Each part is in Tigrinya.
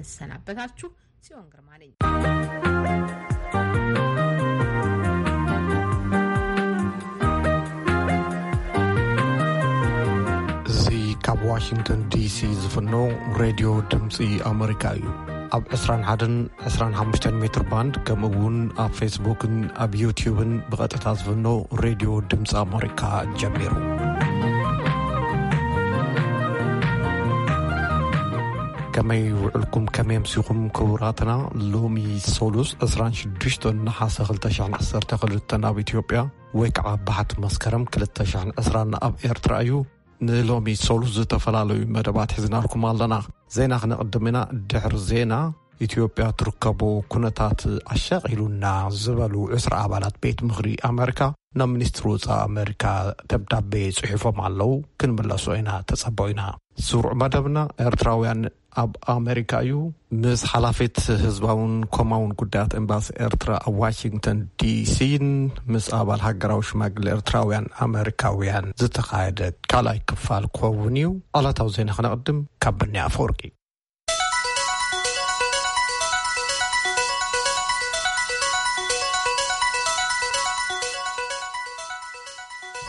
እሰናበታችሁ ጽዮን ግርማ ነኝ። እዚ ካብ ዋሽንግተን ዲሲ ዝፍኖ ሬድዮ ድምፂ ኣመሪካ እዩ። ኣብ ዕስራን ሓደን ዕስራን ሓሙሽተን ሜትር ባንድ፣ ከምኡ እውን ኣብ ፌስቡክን ኣብ ዩትዩብን ብቐጥታ ዝፍኖ ሬድዮ ድምፂ ኣመሪካ ጀሚሩ። ከመይ ውዕልኩም፣ ከመይ ኣምሲኹም ክቡራትና? ሎሚ ሶሉስ ዕስራን ሽዱሽተን ነሓሰ ክልተ ሽሕን ዓሰርተ ክልተን ኣብ ኢትዮጵያ፣ ወይ ከዓ ባሕቲ መስከረም ክልተ ሽሕን ዕስራን ኣብ ኤርትራ እዩ። ንሎሚ ሶሉስ ዝተፈላለዩ መደባት ሒዝናልኩም ኣለና። ዜና ክነቕድም ኢና። ድሕሪ ዜና፣ ኢትዮጵያ ትርከቦ ኩነታት ኣሻቒሉና ዝበሉ ዕስራ ኣባላት ቤት ምኽሪ ኣመሪካ ናብ ሚኒስትሪ ወፃኢ ኣመሪካ ደብዳቤ ጽሒፎም ኣለዉ። ክንምለሶ ኢና፣ ተጸበዩና። ስሩዕ መደብና ኤርትራውያን ኣብ ኣመሪካ እዩ። ምስ ሓላፊት ህዝባውን ኮማውን ጉዳያት ኤምባሲ ኤርትራ ኣብ ዋሽንግተን ዲሲን ምስ ኣባል ሃገራዊ ሽማግለ ኤርትራውያን ኣመሪካውያን ዝተኻየደ ካልኣይ ክፋል ክኸውን እዩ። ዕለታዊ ዜና ክነቕድም ካብ ብንያ ኣፈወርቂ።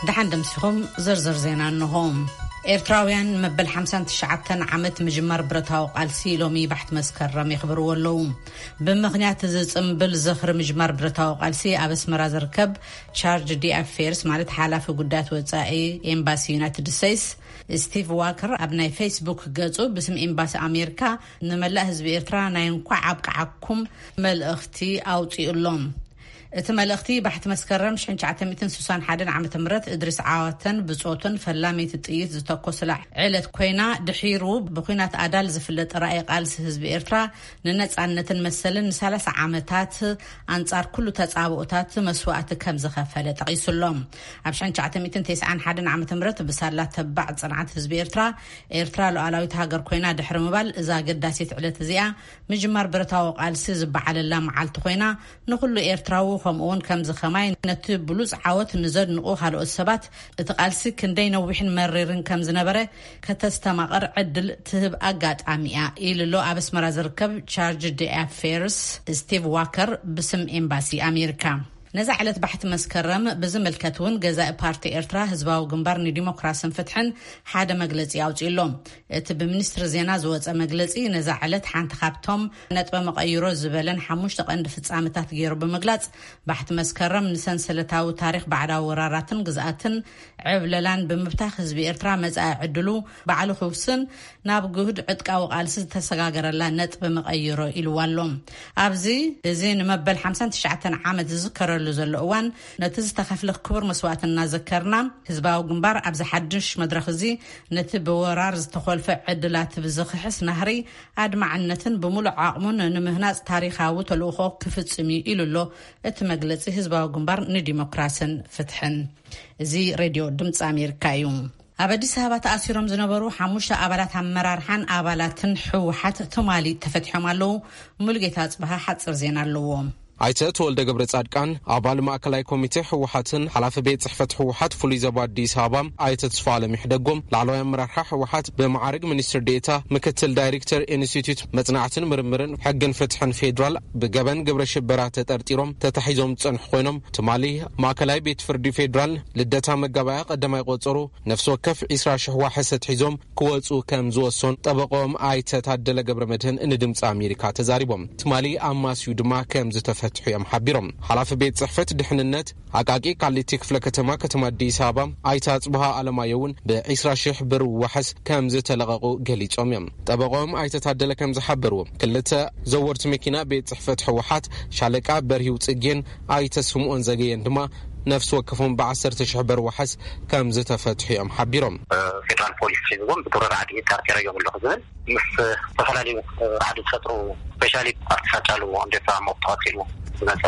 ደሓን ደምሲኹም። ዝርዝር ዜና እንሆ። ኤርትራውያን መበል ሓምሳን ትሽዓተን ዓመት ምጅማር ብረታዊ ቃልሲ ሎሚ ባሕቲ መስከረም የኽብርዎ ኣለዉ። ብምኽንያት እዚ ጽምብል ዝኽሪ ምጅማር ብረታዊ ቃልሲ፣ ኣብ ኣስመራ ዝርከብ ቻርጅ ዲ ኣፌርስ፣ ማለት ሓላፊ ጉዳያት ወጻኢ ኤምባሲ ዩናይትድ ስቴትስ፣ ስቲቭ ዋከር፣ ኣብ ናይ ፌስቡክ ገጹ ብስም ኤምባሲ ኣሜሪካ ንመላእ ህዝቢ ኤርትራ ናይ እንኳዕ ኣብቅዓኩም መልእኽቲ ኣውጺኡ ኣሎ። እቲ መልእኽቲ፣ ባሕቲ መስከረም ሽሕን ትሽዓተ ሚእትን ስሳን ሓደን ዓመተ ምህረት እድሪስ ዓዋተን ብጾቱን ፈላመይቲ ጥይት ዝተኮስላ ዕለት ኮይና፣ ድሒሩ ብኲናት ኣዳል ዝፍለጥ ራእይ ቃልሲ ህዝቢ ኤርትራ ንነጻነትን መሰልን ንሰላሳ ዓመታት ኣንጻር ኩሉ ተጻብኦታት መስዋእቲ ከም ዝኸፈለ ጠቒሱ ኣሎ። ኣብ ሽሕን ትሽዓተ ሚእትን ተስዓን ሓደን ዓመተ ምህረት ብሳላ ተባዕ ጽንዓት ህዝቢ ኤርትራ፣ ኤርትራ ሉዓላዊት ሃገር ኮይና ድሕሪ ምባል፣ እዛ ኣገዳሲት ዕለት እዚኣ ምጅማር ብረታዊ ቃልሲ ዝበዓለላ መዓልቲ ኮይና፣ ንኹሉ ኤርትራዊ ከምኡውን ከምዚ ከማይ ነቲ ብሉጽ ዓወት ንዘድንቑ ካልኦት ሰባት፣ እቲ ቃልሲ ክንደይ ነዊሕን መሪርን ከም ዝነበረ ከተስተማቕር ዕድል ትህብ ኣጋጣሚ እያ፣ ኢሉ ኣሎ ኣብ ኣስመራ ዝርከብ ቻርጅ ዲ ኣፌርስ ስቲቭ ዋከር ብስም ኤምባሲ ኣሜሪካ። ነዛ ዕለት ባሕቲ መስከረም ብዝምልከት እውን ገዛኢ ፓርቲ ኤርትራ ህዝባዊ ግንባር ንዲሞክራስን ፍትሕን ሓደ መግለጺ ኣውጺኡ ኣሎ። እቲ ብሚኒስትሪ ዜና ዝወጸ መግለጺ፣ ነዛ ዕለት ሓንቲ ካብቶም ነጥበ መቐይሮ ዝበለን ሓሙሽተ ቀንዲ ፍጻመታት ገይሩ ብምግላጽ፣ ባሕቲ መስከረም ንሰንሰለታዊ ታሪኽ ባዕዳዊ ወራራትን ግዝኣትን ዕብለላን ብምብታኽ፣ ህዝቢ ኤርትራ መጻኢ ዕድሉ ባዕሉ ክውስን፣ ናብ ግሁድ ዕጥቃዊ ቃልሲ ዝተሰጋገረላ ነጥቢ መቐይሮ ኢልዋ ኣሎ። ኣብዚ፣ እዚ ንመበል ሓምሳን ትሽዓተን ዓመት ዝዝከረሉ ዘሎ እዋን፣ ነቲ ዝተኸፍለ ክቡር መስዋእቲ እናዘከርና፣ ህዝባዊ ግንባር ኣብዚ ሓድሽ መድረኽ እዚ ነቲ ብወራር ዝተኾልፈ ዕድላት ብዝኽሕስ ናህሪ ኣድማዕነትን ብምሉእ ዓቕሙን ንምህናጽ ታሪኻዊ ተልእኾ ክፍጽም እዩ ኢሉ ኣሎ እቲ መግለጺ ህዝባዊ ግንባር ንዲሞክራስን ፍትሕን። እዚ ሬድዮ ድምፂ ኣሜሪካ እዩ። ኣብ ኣዲስ ኣበባ ተኣሲሮም ዝነበሩ ሓሙሽተ ኣባላት ኣመራርሓን ኣባላትን ህወሓት ትማሊ ተፈትሖም ኣለዉ። ሙሉጌታ ኣፅበሃ ሓፂር ዜና ኣለዎ። ኣይተ ተወልደ ገብረ ጻድቃን፣ ኣባል ማእከላይ ኮሚቴ ህወሓትን ሓላፊ ቤት ጽሕፈት ህወሓት ፍሉይ ዞባ ኣዲስ ኣበባ ኣይተ ተስፋኣለም ይሕደጎም፣ ላዕለዋይ ኣመራርሓ ህወሓት ብመዓርግ ሚኒስትር ዴኤታ ምክትል ዳይሬክተር ኢንስቲትዩት መጽናዕትን ምርምርን ሕግን ፍትሕን ፌዴራል ብገበን ግብረ ሽበራ ተጠርጢሮም ተታሒዞም ዝጸንሑ ኮይኖም፣ ትማሊ ማእከላይ ቤት ፍርዲ ፌዴራል ልደታ መጋባእያ ቀዳማይ ቆጸሮ ነፍሲ ወከፍ ዒስራ ሽሕ ዋሕስ ኣትሒዞም ክወጹ ከም ዝወሰኑ ጠበቆም ኣይተ ታደለ ገብረ መድህን ንድምፂ ኣሜሪካ ተዛሪቦም። ትማሊ ኣማስዩ ድማ ከም ዝተፈትሑ እዮም ሓቢሮም። ሓላፊ ቤት ጽሕፈት ድሕንነት ኣቃቂ ቃሊቲ ክፍለ ከተማ፣ ከተማ ኣዲስ ኣበባ ኣይተ ኣጽብሃ ኣለማዮ እውን ብዒስራ ሽሕ ብር ዋሕስ ከም ዝተለቐቑ ገሊጾም እዮም። ጠበቆም ኣይተ ታደለ ከም ዝሓበርዎ፣ ክልተ ዘወርቲ መኪና ቤት ጽሕፈት ህወሓት ሻለቃ በርሂው ጽጌን ኣይተ ስምኦን ዘገየን ድማ ነፍሲ ወከፎም ብዓሰርተ ሽሕ ብር ዋሕስ ከም ዝተፈትሑ እዮም ሓቢሮም። ፌደራል ፖሊስ ሒዝዎም ብዱር ራዕዲ ጠርጢረዮም ኣለኹ ዝብል ምስ ዝተፈላለዩ ራዕዲ ዝፈጥሩ፣ ስፔሻሊ ኣብቲ ሳጫሉ ኣንዴሳ ሞት ተቐቲሉ ዝመፀ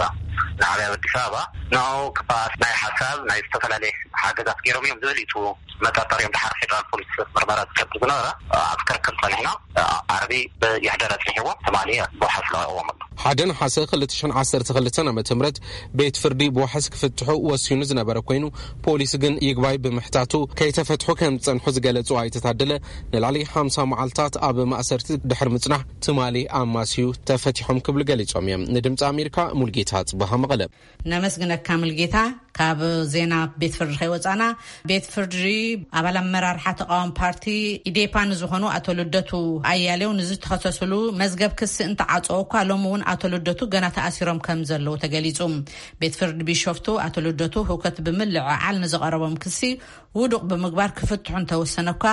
ንዓብያ ኣዲስ ኣበባ ንኡ ክፋት ናይ ሓሳብ ናይ ዝተፈላለየ ሓገዛት ገይሮም እዮም ዝብል እዩ መጠርጠሪኦም ድሓር ፌደራል ፖሊስ ምርመራ ዝገብር ዝነበረ። ኣብ ክርክር ፀኒሕና ዓርቢ የሕደረ ፅኒሕዎ ትማሊ ብዋሕስ ለቂቕዎም ኣሎ። ሓደ ነሓሰ ክልተ ሽሕን ዓሰርተ ክልተን ዓመተ ምህረት ቤት ፍርዲ ብዋሕስ ክፍትሑ ወሲኑ ዝነበረ ኮይኑ፣ ፖሊስ ግን ይግባይ ብምሕታቱ ከይተፈትሑ ከም ዝጸንሑ ዝገለጹ ኣይተ ታደለ፣ ንላዕሊ ሓምሳ መዓልታት ኣብ ማእሰርቲ ድሕሪ ምጽናሕ ትማሊ ኣማስዩ ተፈቲሖም ክብሉ ገሊጾም እዮም። ንድምጺ ኣሜሪካ ሙልጌታ ጽባሃ መቐለ። ነመስግነካ ሙልጌታ። ካብ ዜና ቤት ፍርዲ ከይወጻና፣ ቤት ፍርዲ ኣባል ኣመራርሓ ተቃዋሚ ፓርቲ ኢዴፓ ንዝኾኑ ኣቶ ልደቱ ኣያሌው ንዝተኸሰስሉ መዝገብ ክሲ እንተዓጸወ እኳ፣ ሎሚ እውን ኣቶ ልደቱ ገና ተኣሲሮም ከም ዘለዉ ተገሊጹ። ቤት ፍርዲ ቢሾፍቱ ኣቶ ልደቱ ህውከት ብምልዕዓል ንዝቐረቦም ክሲ ውዱቕ ብምግባር ክፍትሑ እንተወሰነ እኳ፣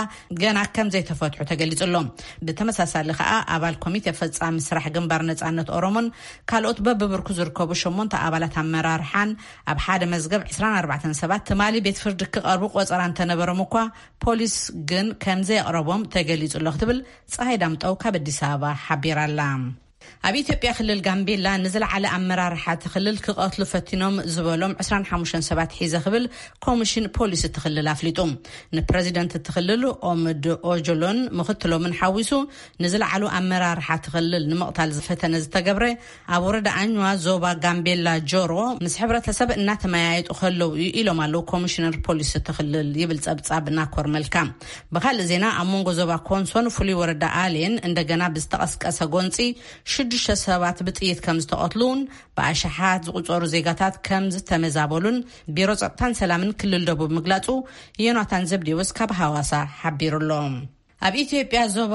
ገና ከም ዘይተፈትሑ ተገሊጹ ኣሎ። ብተመሳሳሊ ከኣ፣ ኣባል ኮሚቴ ፈጻሚ ስራሕ ግንባር ነጻነት ኦሮሞን ካልኦት በብብርኩ ዝርከቡ ሸሞንተ ኣባላት ኣመራርሓን ኣብ ሓደ መዝገብ ዕስራን ኣርባዕተን ሰባት ትማሊ ቤት ፍርዲ ክቐርቡ ቆጸራ እንተነበሮም እኳ፣ ፖሊስ ግን ከም ዘየቕረቦም ተገሊጹ ኣሎ ክትብል ጸሃይ ዳምጠው ካብ ኣዲስ ኣበባ ሓቢራ ኣላ። ኣብ ኢትዮጵያ ክልል ጋምቤላ ንዝለዓለ ኣመራርሓ እቲ ክልል ክቐትሉ ፈቲኖም ዝበሎም ዕስራን ሓሙሽተን ሰባት ሒዘ ክብል ኮሚሽን ፖሊስ እቲ ክልል ኣፍሊጡ። ንፕረዚደንት እቲ ክልል ኦምድ ኦጆሎን ምኽትሎምን ሓዊሱ ንዝለዓሉ ኣመራርሓ እቲ ክልል ንምቕታል ዝፈተነ ዝተገብረ ኣብ ወረዳ ኣኝዋ ዞባ ጋምቤላ ጆሮ ምስ ሕብረተሰብ እናተመያየጡ ከለዉ እዩ ኢሎም ኣለዉ ኮሚሽነር ፖሊስ እቲ ክልል ይብል ጸብጻብ ናኮር መልካ። ብኻልእ ዜና ኣብ መንጎ ዞባ ኮንሶን ፍሉይ ወረዳ ኣሌን እንደገና ብዝተቐስቀሰ ጎንጺ ሽዱሽተ ሰባት ብጥይት ከም ዝተቐትሉን ብኣሽሓት ዝቑጸሩ ዜጋታት ከም ዝተመዛበሉን ቢሮ ጸጥታን ሰላምን ክልል ደቡብ ምግላጹ ዮናታን ዘብዴዎስ ካብ ሃዋሳ ሓቢሩ ኣሎ። ኣብ ኢትዮጵያ ዞባ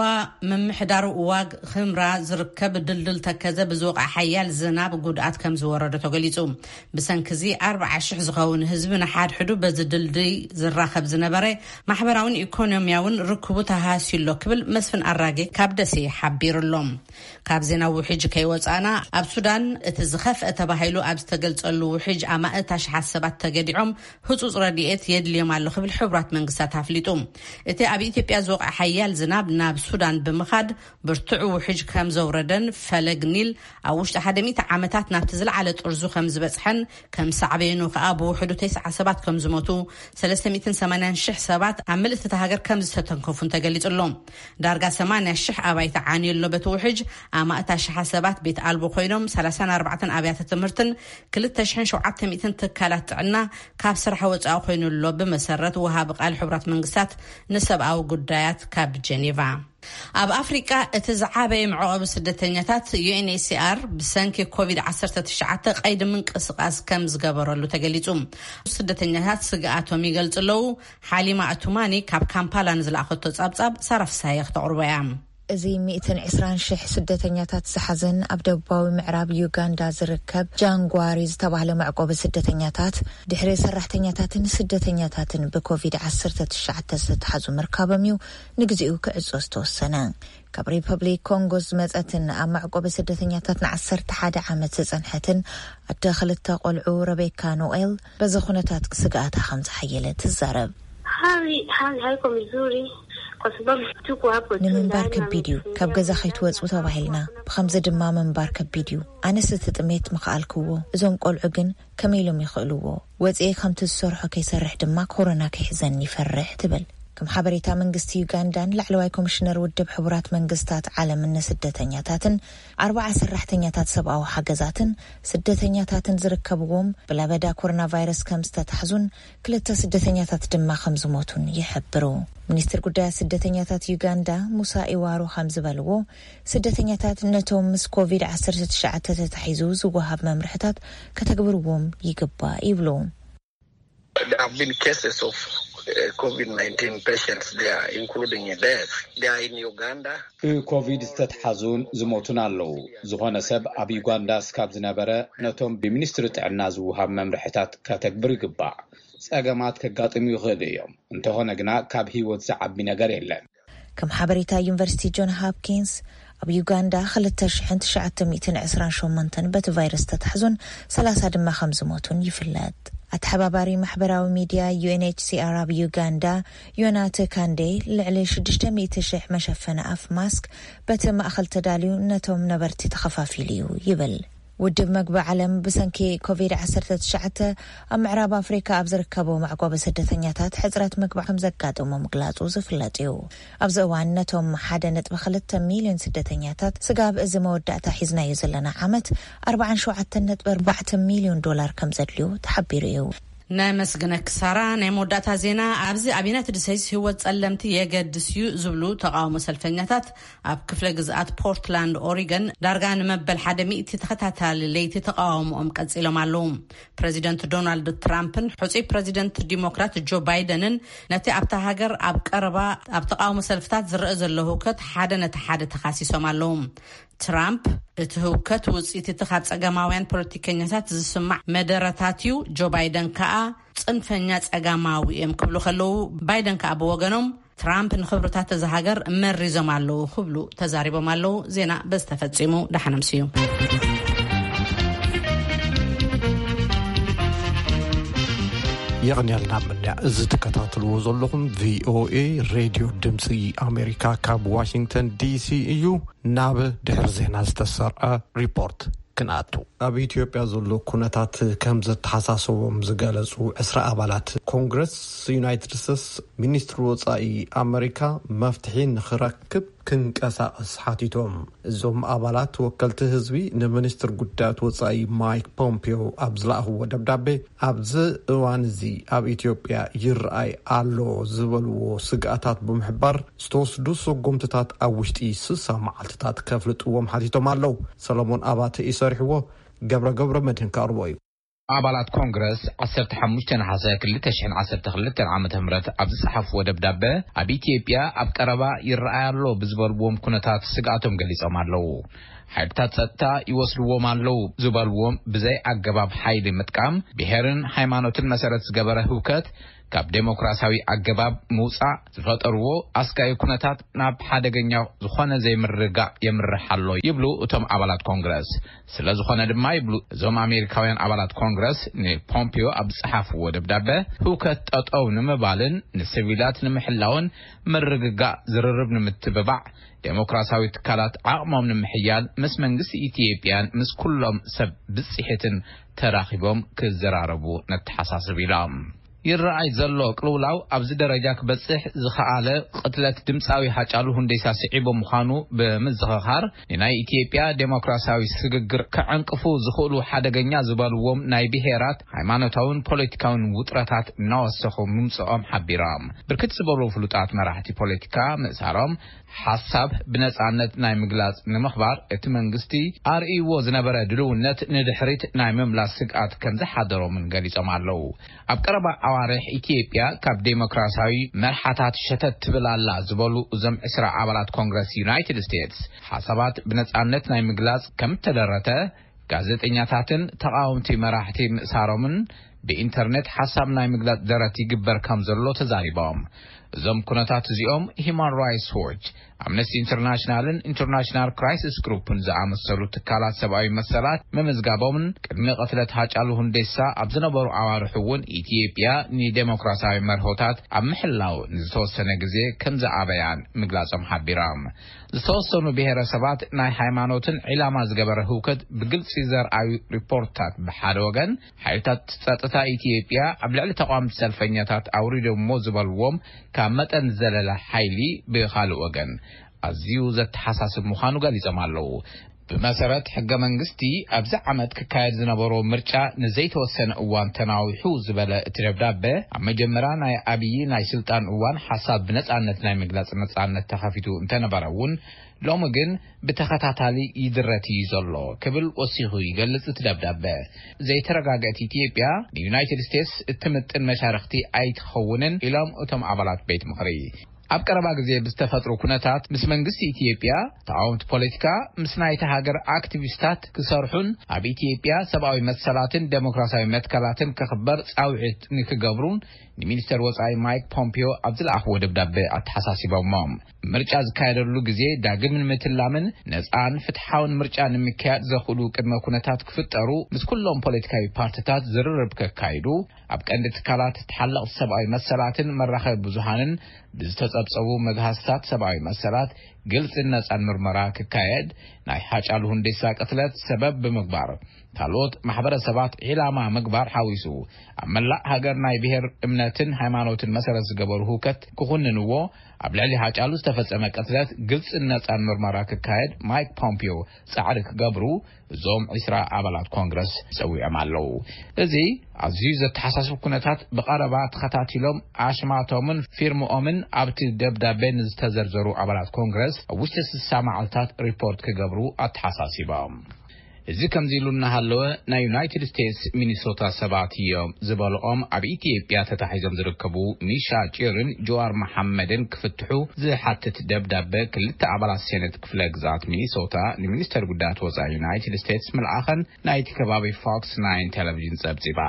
ምምሕዳር ዋግ ኽምራ ዝርከብ ድልድል ተከዘ ብዝወቕዐ ሓያል ዝናብ ጉድኣት ከም ዝወረዶ ተገሊጹ። ብሰንኪ እዚ ኣርብዓ ሽሕ ዝኸውን ህዝቢ ንሓድሕዱ በዚ ድልድይ ዝራኸብ ዝነበረ ማሕበራውን ኢኮኖሚያውን ርክቡ ተሃስዩ ኣሎ ክብል መስፍን ኣራጌ ካብ ደሴ ሓቢሩ ኣሎ። ካብ ዜና ውሕጅ ከይወጻና፣ ኣብ ሱዳን እቲ ዝኸፍአ ተባሂሉ ኣብ ዝተገልጸሉ ውሕጅ ኣማእት ኣሽሓት ሰባት ተገዲዖም ህጹጽ ረድኤት የድልዮም ኣሎ ክብል ሕቡራት መንግስታት ኣፍሊጡ። እቲ ኣብ ኢትዮጵያ ዝወቕዐ ሓያል ዝናብ ናብ ሱዳን ብምኻድ ብርቱዕ ውሕጅ ከም ዘውረደን ፈለግ ኒል ኣብ ውሽጢ ሓደ ሚእቲ ዓመታት ናብቲ ዝለዓለ ጥርዙ ከም ዝበጽሐን ከም ሳዕቤኑ ከኣ ብውሕዱ ተስዓ ሰባት ከም ዝሞቱ፣ ሰለስተ ሚእትን ሰማንያን ሽሕ ሰባት ኣብ ምልእቲ እታ ሃገር ከም ዝተተንከፉን ተገሊጹ ኣሎ። ዳርጋ ሰማንያ ሽሕ ኣባይቲ ዓንዩ ኣሎ። በቲ ውሕጅ ኣማእት ኣሽሓት ሰባት ቤት ኣልቦ ኮይኖም፣ ሰላሳን ኣርባዕተን ኣብያተ ትምህርትን ክልተ ሽሕን ሸውዓተ ሚእትን ትካላት ጥዕና ካብ ስራሕ ወጻኢ ኮይኑ ኣሎ። ብመሰረት ወሃቢ ቃል ሕቡራት መንግስታት ንሰብኣዊ ጉዳያት ካብ ጀኔቫ። ኣብ ኣፍሪቃ እቲ ዝዓበየ መዕቆቢ ስደተኛታት ዩ ኤን ኤች ሲ ኣር ብሰንኪ ኮቪድ ዓሰርተ ትሽዓተ ቀይዲ ምንቅስቃስ ከም ዝገበረሉ ተገሊጹ። ስደተኛታት ስግኣቶም ይገልጹ ኣለዉ። ሓሊማ ኣቱማኒ ካብ ካምፓላ ንዝለኣኸቶ ጸብጻብ ሳራ ፍሳሃየ ክተቕርቦ እያ። እዚ ሚእትን ዕስራን ሽሕ ስደተኛታት ዝሓዘን ኣብ ደቡባዊ ምዕራብ ዩጋንዳ ዝርከብ ጃንጓሪ ዝተባህለ መዕቆቢ ስደተኛታት፣ ድሕሪ ሰራሕተኛታትን ስደተኛታትን ብኮቪድ ዓሰርተ ትሽዓተ ዝተታሕዙ ምርካቦም እዩ ንግዜኡ ክዕጾ ዝተወሰነ። ካብ ሪፐብሊክ ኮንጎ ዝመጸትን ኣብ መዕቆቢ ስደተኛታት ንዓሰርተ ሓደ ዓመት ዝጸንሐትን ኣደ ክልተ ቆልዑ ረቤካ ኖኤል በዚ ኩነታት ስግኣታ ከም ዝሓየለ ትዛረብ። Hali hali haiko mzuri kwa sababu tuko hapo tu ንምንባር ndani ከቢድ እዩ። ካብ ገዛ ከይትወጹ ተባሂልና፣ ብኸምዚ ድማ ምንባር ከቢድ እዩ። ኣነስ እቲ ጥሜት ምኸኣልክዎ፣ እዞም ቆልዑ ግን ከመይ ኢሎም ይኽእልዎ? ወጺኤ ከምቲ ዝሰርሖ ከይሰርሕ ድማ ኮሮና ከይሕዘኒ ይፈርሕ ትብል። ከም ሓበሬታ መንግስቲ ዩጋንዳን ላዕለዋይ ኮሚሽነር ውድብ ሕቡራት መንግስታት ዓለምን ንስደተኛታትን ኣርባዓ ሰራሕተኛታት ሰብኣዊ ሓገዛትን ስደተኛታትን ዝርከብዎም ብለበዳ ኮሮና ቫይረስ ከም ዝተታሕዙን ክልተ ስደተኛታት ድማ ከም ዝሞቱን ይሕብሩ። ሚኒስትር ጉዳያት ስደተኛታት ዩጋንዳ ሙሳ ኢዋሩ ከም ዝበልዎ፣ ስደተኛታት ነቶም ምስ ኮቪድ ዓሰርተ ትሽዓተ ተታሒዙ ዝወሃብ መምርሕታት ከተግብርዎም ይግባእ ይብሉ። There have been cases of uh, COVID nineteen patients there, including a death. They are in Uganda. ብኮቪድ ዝተትሓዙን ዝሞቱን ኣለዉ። ዝኾነ ሰብ ኣብ ዩጋንዳ እስካብ ዝነበረ ነቶም ብሚኒስትሪ ጥዕና ዝውሃብ መምርሕታት ከተግብር ይግባእ። ጸገማት ከጋጥሙ ይኽእሉ እዮም፣ እንተኾነ ግና ካብ ህይወት ዝዓቢ ነገር የለን። ከም ሓበሬታ ዩኒቨርሲቲ ጆን ሃፕኪንስ፣ ኣብ ዩጋንዳ ክልተ ሽሕን ትሽዓተ ሚእትን ዕስራን ሸሞንተን በቲ ቫይረስ ተታሕዙን ሰላሳ ድማ ከም ዝሞቱን ይፍለጥ። ኣተሓባባሪ ማሕበራዊ ሚድያ ዩ ኤን ኤች ሲ ኣር ኣብ ዩጋንዳ፣ ዮናተ ካንዴ፣ ልዕሊ ሽዱሽተ ሚእቲ ሽሕ መሸፈኒ ኣፍ ማስክ በቲ ማእኸል ተዳልዩ ነቶም ነበርቲ ተኸፋፊሉ እዩ ይብል። ውድብ መግቢ ዓለም ብሰንኪ ኮቪድ ዓሰርተ ትሽዓተ ኣብ ምዕራብ ኣፍሪካ ኣብ ዝርከቡ መዕቆቢ ስደተኛታት ሕፅረት መግቢ ከም ዘጋጠሞ ምግላፁ ዝፍለጥ እዩ። ኣብዚ እዋን ነቶም ሓደ ነጥቢ ክልተ ሚልዮን ስደተኛታት ስጋብ እዚ መወዳእታ ሒዝናዮ ዘለና ዓመት ኣርባዓን ሸውዓተን ነጥቢ ኣርባዕተ ሚልዮን ዶላር ከም ዘድልዩ ተሓቢሩ እዩ። ናይ መስግነክ ሳራ። ናይ መወዳእታ ዜና። ኣብዚ ኣብ ዩናይትድ ስቴትስ ህይወት ጸለምቲ የገድስ እዩ ዝብሉ ተቃውሞ ሰልፈኛታት ኣብ ክፍለ ግዝኣት ፖርትላንድ ኦሪገን ዳርጋ ንመበል ሓደ ሚእቲ ተኸታታሊ ለይቲ ተቃውሞኦም ቀጺሎም ኣለዉ። ፕረዚደንት ዶናልድ ትራምፕን ሕጹይ ፕረዚደንት ዲሞክራት ጆ ባይደንን ነቲ ኣብታ ሃገር ኣብ ቀረባ ኣብ ተቃውሞ ሰልፍታት ዝረአ ዘሎ ህውከት ሓደ ነቲ ሓደ ተኻሲሶም ኣለዉ። ትራምፕ እቲ ህውከት ውጽኢት እቲ ካብ ጸገማውያን ፖለቲከኛታት ዝስማዕ መደረታት እዩ፣ ጆ ባይደን ከኣ ጽንፈኛ ጸጋማዊ እዮም ክብሉ ከለዉ፣ ባይደን ከኣ ብወገኖም ትራምፕ ንክብርታት እዛ ሃገር መሪዞም ኣለዉ ክብሉ ተዛሪቦም ኣለዉ። ዜና በዚ ተፈጺሙ። ደሓን ኣምስዩ። የቕንየልና ምንያ። እዚ ትከታተልዎ ዘለኹም ቪኦኤ ሬድዮ ድምፂ ኣሜሪካ ካብ ዋሽንግተን ዲሲ እዩ። ናብ ድሕሪ ዜና ዝተሰርዐ ሪፖርት ክንኣቱ። ኣብ ኢትዮጵያ ዘሎ ኩነታት ከም ዘተሓሳሰቦም ዝገለጹ ዕስራ ኣባላት ኮንግረስ ዩናይትድ ስቴትስ፣ ሚኒስትሪ ወጻኢ ኣመሪካ መፍትሒ ንኽረክብ ክንቀሳቐስ ሓቲቶም። እዞም ኣባላት ወከልቲ ህዝቢ ንሚኒስትር ጉዳያት ወጻኢ ማይክ ፖምፒዮ ኣብ ዝለኣኽዎ ደብዳቤ፣ ኣብዚ እዋን እዚ ኣብ ኢትዮጵያ ይረኣይ ኣሎ ዝበልዎ ስግኣታት ብምሕባር፣ ዝተወስዱ ስጉምትታት ኣብ ውሽጢ ስሳ መዓልትታት ከፍልጥዎም ሓቲቶም ኣለዉ። ሰሎሞን ኣባተ እዩ ሰሪሕዎ። ገብረ ገብረ መድህን ከቕርቦ እዩ። ኣባላት ኮንግረስ ዓሰርተ ሓሙሽተ ነሓሰ ክልተ ሽሕን ዓሰርተ ክልተን ዓመተ ምህረት ኣብ ዝጸሓፍዎ ደብዳበ፣ ኣብ ኢትዮጵያ ኣብ ቀረባ ይረኣይ ኣሎ ብዝበልዎም ኩነታት ስግኣቶም ገሊጾም ኣለዉ። ሓይልታት ጸጥታ ይወስድዎም ኣለዉ ዝበልዎም ብዘይ ኣገባብ ሓይሊ ምጥቃም፣ ብሄርን ሃይማኖትን መሰረት ዝገበረ ህውከት፣ ካብ ዴሞክራሲያዊ ኣገባብ ምውጻእ ዝፈጠርዎ ኣስጋኢ ኩነታት ናብ ሓደገኛ ዝኾነ ዘይምርግጋእ የምርሕ ኣሎ ይብሉ እቶም ኣባላት ኮንግረስ። ስለ ዝኾነ ድማ ይብሉ እዞም ኣሜሪካውያን ኣባላት ኮንግረስ ንፖምፒዮ ኣብ ዝጸሓፍዎ ደብዳበ፣ ህውከት ጠጠው ንምባልን ንሲቪላት ንምሕላውን ምርግጋእ ዝርርብ ንምትብባዕ ዴሞክራሲያዊ ትካላት ዓቕሞም ንምሕያል ምስ መንግስቲ ኢትዮጵያን ምስ ኩሎም ሰብ ብጽሒትን ተራኺቦም ክዘራረቡ ነተሓሳስብ ኢሎም። ይረኣይ ዘሎ ቅልውላው ኣብዚ ደረጃ ክበጽሕ ዝኸኣለ ቅትለት ድምጻዊ ሃጫሉ ሁንዴሳ ስዒቡ ምዃኑ ብምዝኽኻር፣ ንናይ ኢትዮጵያ ዴሞክራሲያዊ ስግግር ከዐንቅፉ ዝኽእሉ ሓደገኛ ዝበልዎም ናይ ብሄራት፣ ሃይማኖታውን ፖለቲካውን ውጥረታት እናወሰኹ ምምጽኦም ሓቢሮም። ብርክት ዝበሉ ፍሉጣት መራሕቲ ፖለቲካ ምእሳሮም፣ ሓሳብ ብነጻነት ናይ ምግላጽ ንምኽባር እቲ መንግስቲ ኣርእይዎ ዝነበረ ድልውነት ንድሕሪት ናይ ምምላስ ስግኣት ከም ዝሓደሮምን ገሊጾም ኣለዉ። ኣብ ቀረባ ኣዋርሕ ኢትዮጵያ ካብ ዴሞክራሲያዊ መርሓታት ሸተት ትብል ኣላ ዝበሉ እዞም ዕስራ ኣባላት ኮንግረስ ዩናይትድ ስቴትስ፣ ሓሳባት ብነጻነት ናይ ምግላጽ ከም እተደረተ፣ ጋዜጠኛታትን ተቓወምቲ መራሕቲ ምእሳሮምን ብኢንተርኔት ሓሳብ ናይ ምግላጽ ደረት ይግበር ከም ዘሎ ተዛሪቦም። እዞም ኩነታት እዚኦም ሂማን ራይትስ ዎች፣ ኣምነስቲ ኢንተርናሽናልን ኢንተርናሽናል ክራይሲስ ግሩፕን ዝኣመሰሉ ትካላት ሰብኣዊ መሰላት ምምዝጋቦምን ቅድሚ ቅትለት ሃጫሉ ሁንዴሳ ኣብ ዝነበሩ ኣዋርሕ እውን ኢትዮጵያ ንዴሞክራሲያዊ መርሆታት ኣብ ምሕላው ንዝተወሰነ ግዜ ከም ዝኣበያን ምግላጾም ሓቢሮም። ዝተወሰኑ ብሄረሰባት ናይ ሃይማኖትን ዒላማ ዝገበረ ህውከት ብግልጺ ዘርኣዩ ሪፖርታት ብሓደ ወገን፣ ሓይልታት ጸጥታ ኢትዮጵያ ኣብ ልዕሊ ተቃወምቲ ሰልፈኛታት ኣውሪዶሞ ዝበልዎም ካብ መጠን ዝዘለለ ሓይሊ ብኻልእ ወገን ኣዝዩ ዘተሓሳስብ ምዃኑ ገሊጾም ኣለዉ። ብመሰረት ሕገ መንግስቲ ኣብዚ ዓመት ክካየድ ዝነበሮ ምርጫ ንዘይተወሰነ እዋን ተናዊሑ ዝበለ እቲ ደብዳበ፣ ኣብ መጀመርያ ናይ ኣብዪ ናይ ስልጣን እዋን ሓሳብ ብነጻነት ናይ ምግላጽ ነጻነት ተኸፊቱ እንተነበረ እውን፣ ሎሚ ግን ብተኸታታሊ ይድረት እዩ ዘሎ ክብል ወሲኹ ይገልጽ እቲ ደብዳበ። ዘይተረጋገእት ኢትዮጵያ ንዩናይትድ ስቴትስ እትምጥን መሻርኽቲ ኣይትኸውንን ኢሎም እቶም ኣባላት ቤት ምኽሪ። ኣብ ቀረባ ግዜ ብዝተፈጥሩ ኩነታት ምስ መንግስቲ ኢትዮጵያ፣ ተቃወምቲ ፖለቲካ፣ ምስ ናይታ ሃገር ኣክቲቪስታት ክሰርሑን ኣብ ኢትዮጵያ ሰብኣዊ መሰላትን ዴሞክራሲያዊ መትከላትን ክኽበር ጻውዒት ንክገብሩን ንሚኒስተር ወጻኢ ማይክ ፖምፒዮ ኣብ ዝለኣኽዎ ደብዳበ ኣተሓሳሲቦሞም። ምርጫ ዝካየደሉ ግዜ ዳግም ንምትላምን ነጻን ፍትሓውን ምርጫ ንምክያድ ዘኽእሉ ቅድመ ኩነታት ክፍጠሩ ምስ ኩሎም ፖለቲካዊ ፓርቲታት ዝርርብ ከካይዱ፣ ኣብ ቀንዲ ትካላት ተሓለቕቲ ሰብኣዊ መሰላትን መራኸቢ ብዙሃንን ብዝተጸብጸቡ መግሃስታት ሰብኣዊ መሰላት ግልጽን ነጻን ምርመራ ክካየድ፣ ናይ ሃጫሉ ሁንዴሳ ቅትለት ሰበብ ብምግባር ካልኦት ማሕበረሰባት ዒላማ ምግባር ሓዊሱ፣ ኣብ መላእ ሃገር ናይ ብሔር እምነትን ሃይማኖትን መሰረት ዝገበሩ ህውከት ክኹንንዎ፣ ኣብ ልዕሊ ሃጫሉ ዝተፈጸመ ቅትለት ግልጽን ነጻን ምርመራ ክካየድ ማይክ ፖምፒዮ ጻዕሪ ክገብሩ እዞም ዒስራ ኣባላት ኮንግረስ ጸዊዖም ኣለዉ። እዚ ኣዝዩ ዘተሓሳስብ ኩነታት ብቐረባ ተኸታቲሎም ኣሽማቶምን ፊርምኦምን ኣብቲ ደብዳቤ ንዝተዘርዘሩ ኣባላት ኮንግረስ ኣብ ውሽጢ ስሳ መዓልታት ሪፖርት ክገብሩ ኣተሓሳሲቦም። እዚ ከምዚ ኢሉ እናሃለወ፣ ናይ ዩናይትድ ስቴትስ ሚኒሶታ ሰባት እዮም ዝበልኦም ኣብ ኢትዮጵያ ተታሒዞም ዝርከቡ ሚሻ ጪርን ጀዋር መሓመድን ክፍትሑ ዝሓትት ደብዳበ ክልተ ኣባላት ሴኔት ክፍለ ግዝኣት ሚኒሶታ ንሚኒስተር ጉዳያት ወጻኢ ዩናይትድ ስቴትስ ምልኣኸን ናይቲ ከባቢ ፎክስ ናይን ቴሌቪዥን ጸብጺባ።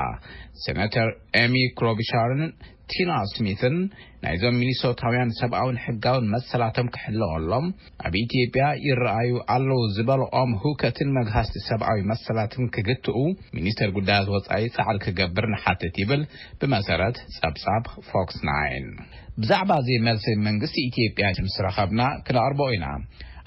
ሴናተር ኤሚ ክሎቢሻርን ቲና ስሚትን ናይዞም ሚኒሶታውያን ሰብኣውን ሕጋውን መሰላቶም ክሕለወሎም ኣብ ኢትዮጵያ ይረኣዩ ኣለዉ ዝበልኦም ህውከትን መግሃስቲ ሰብኣዊ መሰላትን ክግትኡ ሚኒስተር ጉዳያት ወጻኢ ጻዕሪ ክገብር ንሓትት ይብል ብመሰረት ጸብጻብ ፎክስ ናይን። ብዛዕባ እዚ መልሲ መንግስቲ ኢትዮጵያ ምስ ረኸብና ክነቕርቦ ኢና።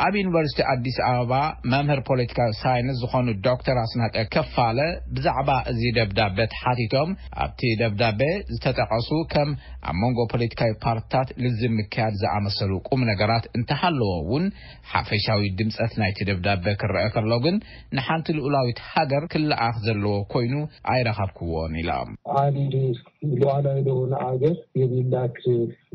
ኣብ ዩኒቨርሲቲ ኣዲስ ኣበባ መምህር ፖለቲካዊ ሳይንስ ዝኾኑ ዶክተር ኣስናቀ ከፋለ ብዛዕባ እዚ ደብዳበ ተሓቲቶም፣ ኣብቲ ደብዳበ ዝተጠቐሱ ከም ኣብ መንጎ ፖለቲካዊ ፓርትታት ልዝብ ምክያድ ዝኣመሰሉ ቁም ነገራት እንተሃለዎ እውን፣ ሓፈሻዊ ድምጸት ናይቲ ደብዳበ ክረአ ከሎ ግን ንሓንቲ ልኡላዊት ሃገር ክለኣኽ ዘለዎ ኮይኑ ኣይረኸብክዎን ኢሎም። ዓሊ ሉዓላዊ ለሆነ ሀገር የሚላክ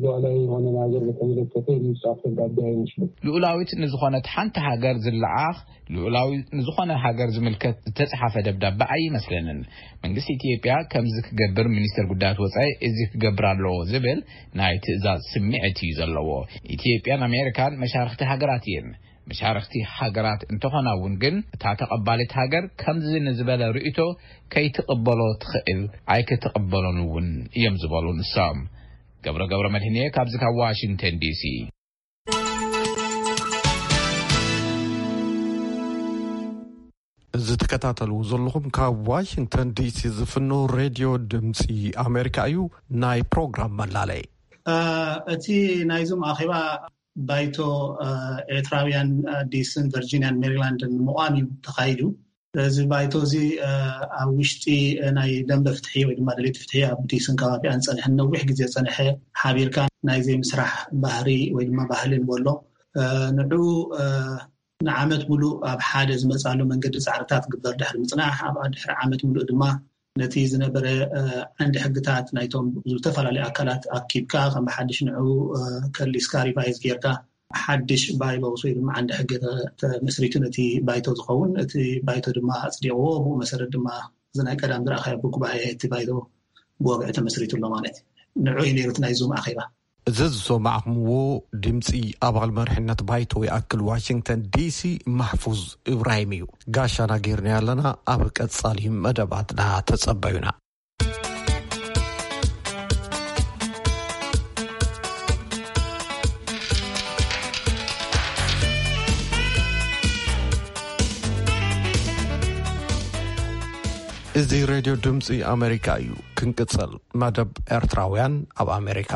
ሉዓላዊ የሆነን ሀገር በተመለከተ የሚጻፍ ደብዳቤ አይመስልም። ልኡላዊት ንዝኾነት ሓንቲ ሃገር ዝለኣኽ፣ ልኡላዊ ንዝኾነ ሃገር ዝምልከት ዝተጻሓፈ ደብዳቤ ኣይመስለንን። መንግስቲ ኢትዮጵያ ከምዚ ክገብር ሚኒስተር ጉዳያት ወጻኢ እዚ ክገብር ኣለዎ ዝብል ናይ ትእዛዝ ስምዒት እዩ ዘለዎ። ኢትዮጵያን ኣሜሪካን መሻርኽቲ ሃገራት እየን። መሻርኽቲ ሃገራት እንተኾና እውን ግን እታ ተቐባሊት ሃገር ከምዚ ንዝበለ ርእይቶ ከይትቕበሎ ትኽእል፣ ኣይክትቕበሎን እውን እዮም ዝበሉ ንሶም። ገብረ ገብረ መድህንየ ካብዚ ካብ ዋሽንግተን ዲሲ። እዚ ትከታተልዎ ዘለኹም ካብ ዋሽንግተን ዲሲ ዝፍኖ ሬድዮ ድምፂ ኣሜሪካ እዩ። ናይ ፕሮግራም መላለይ። እ፣ እቲ ናይዞም ኣኼባ ባይቶ፣ እ፣ ኤርትራውያን፣ እ፣ ዲስን ቨርጂኒያን ሜሪላንድን ንምቋም እዩ ተኻይዱ። እዚ ባይቶ እዚ፣ እ፣ ኣብ ውሽጢ፣ እ፣ ናይ ደንበ ፍትሒ ወይ ድማ ደለይቲ ፍትሒ ኣብ ዲስን ከባቢኣን ጸንሐ፣ ነዊሕ ግዜ ጸንሐ፣ ሓቢርካ ናይ ዘይምስራሕ ባህሪ ወይ ድማ ባህሊ ንበሎ፣ እ፣ ንዑ፣ እ፣ ንዓመት ሙሉእ ኣብ ሓደ ዝመጻሉ መንገዲ ጻዕርታት ግበር ድሕሪ ምጽናሕ፣ ኣብ ድሕሪ ዓመት ሙሉእ ድማ ነቲ ዝነበረ፣ እ፣ ዓንዲ ሕግታት ናይቶም ዝተፈላለዩ ኣካላት ኣኪብካ፣ ከም ብሓድሽ ንዑ፣ እ፣ ከሊስካ፣ ሪቫይዝ ጌርካ፣ ሓድሽ ባይሎስ ወይ ድማ ዓንዲ ሕጊ ተ-፣ ተመስሪቱ ነቲ ባይቶ ዝኸውን፣ እቲ ባይቶ ድማ ኣጽዲቕዎ። ብኡ መሰረት ድማ እዚ ናይ ቀዳም ዝረኣኻዮ ብጉባኤ እቲ ባይቶ ብወግዒ ተመስሪቱ ኣሎ ማለት እዩ። ንዑ እዩ ነይሩ እቲ ናይ ዙም ኣኼባ። እዚ ዝሰማዕኹምዎ ድምፂ ኣባል መሪሕነት ባይቶ ይኣክል ዋሽንግተን ዲሲ ማሕፉዝ እብራሂም እዩ። ጋሻና ጌርና ኣለና። ኣብ ቀጻሊ መደባትና ተጸበዩና። እዚ ሬድዮ ድምፂ ኣሜሪካ እዩ። ክንቅጽል፣ መደብ ኤርትራውያን ኣብ ኣሜሪካ።